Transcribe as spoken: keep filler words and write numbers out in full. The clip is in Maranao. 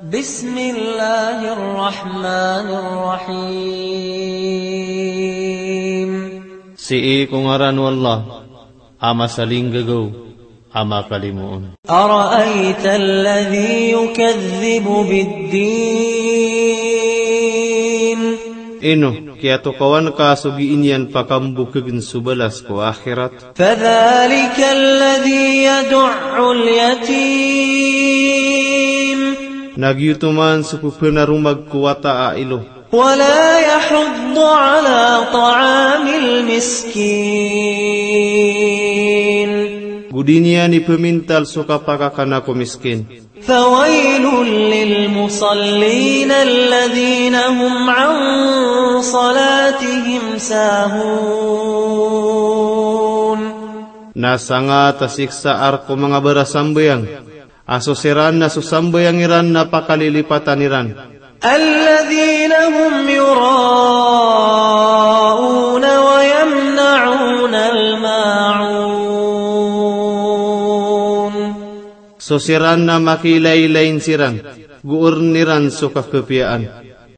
بسم الله الرحمن الرحيم. Sii ko ngaran o Allah a masalinggagaw a makalimoon. أرأيت الذي يكذب بالدين. Ino kiyatokawan ka so gii niyan pakambokegn so balas ko akhirat? فذلك الذي يدع اليتيم. Na giyoto man so pephanaromag ko wata a ilo. ولا يحض على طعام المسكين. Go di niyan ipemintal so kapakakana ko miskin. فويل للمصلين الذين هم عن صلاتهم ساهون. Na sangat a siksa a rk o manga barasambayang a so siran na so sambayang iran na pakalilipatan iran. الذين هم يراءون ويمنعون الماعون. So siran na makiilaylayin siran, go orn iran so kakapiyaan.